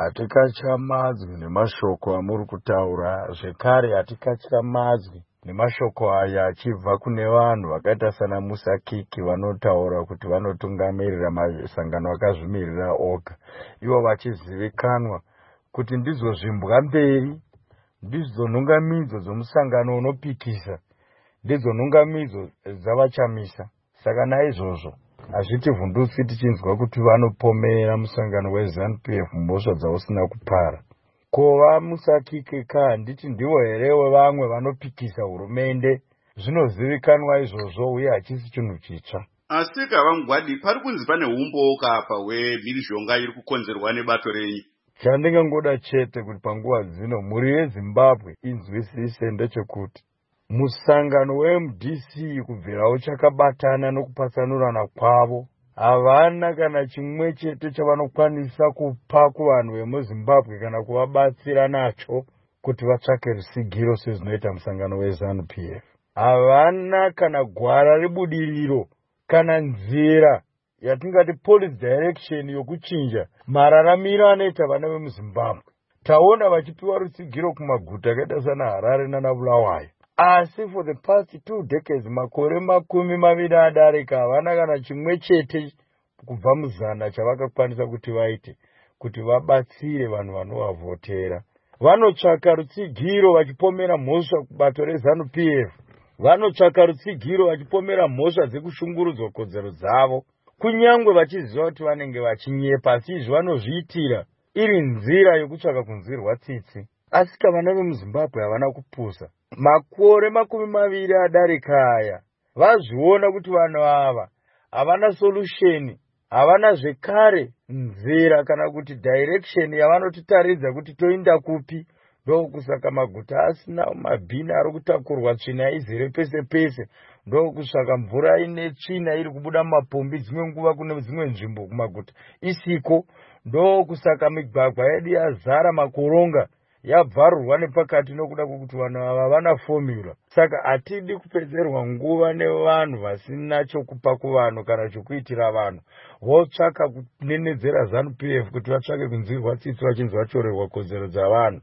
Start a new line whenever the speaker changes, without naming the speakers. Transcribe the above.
Hatikatyamadzwi nemashoko amuri kutaura, zvekare hatikatyamadzwi nemashoko aya achibva kune vanhu vakaita sana Musakiki vanotaura kuti vanotungamirira masangano akazvimirira oga, ivo vachizivikanwa kuti ndidzo zvimbwa mberi, ndidzo nhungamidzo dzomusangano unopikisa, ndidzo nhungamidzo dzavaChamisa. Saka naizvozvo hazvitivhundutsi tichinzwa kuti vanopomera musangano weZanu PF mhosva dzausina kupara. Ko vaMusakike ka handiti ndivo here vevamwe vanopikisa hurumende? Zvinozivikanwa izvozvo uye hachisi chinhu chitsva.
Asika VaMugwadi, pari kunzi pane humbowo apa hwemhirizhonga iri kukonzerwa nebato renyu.
Chandingangoda chete kuti panguva dzino mhuri yeZimbabwe inzwisise ndechekuti musangano weMDC kubvira uchakabatana nokupatsanurana kwavo, havana kana chimwe chete chavanokwanisa kupa kuvanhu vemuZimbabwe kana kuvabatsira nacho kuti vatsvake rusigiro sezvinoita musangano weZanu PF. Havana kana gwara rebudiriro kana nzira yatingati policy direction yokuchinja mararamiro anoita vana vemuZimbabwe. Taona vachipiwa rutsigiro kumaguta akaita sana Harare nana Bulawayo, asi for the past 2 decades, makore 20 adarika, havana kana chimwe chete kubva muzana chavakakwanisa kuti vaite kuti vabatsire vanhu vanovavhotera. Vanotsvaka rutsigiro vachipomera mhosva kubato reZanu PF. Vanotsvaka rutsigiro vachipomera mhosva dzekushungurudzwa kodzero dzavo, kunyange vachiziva kuti vanenge vachinyepa, asi izvi vanozviitira iri nzira yokutsvaka kunzwirwa tsitsi. Asi kavana vemuZimbabwe havana kupusa. Makore 20 adarika aya, vazviona kuti vanhu ava havana solution, havana zvekare nzira kana kuti direction yavanotitaridza kuti toinda kupi. Ndokusaka maguta asina mabhini, ari kutakurwa tsvina izere pese pese. Ndokusaka mvura ine tsvina iri kubuda mumapombi dzimwe nguva kune dzimwe nzvimbo kumaguta isiko. Ndokusaka migwagwa yedu yazara makoronga, yabvarurwa nepakati, nokuda kwokuti vanhu ava vana formula. Saka hatidi kupedzerwa nguva nevanhu vasina chokupa kuvanhu kana chokuitira vanhu, votsvaka kunenedzera ZANU PF kuti vatsvake kunzwirwa tsitsi vachinzi vatyorerwa kodzero dzavanhu.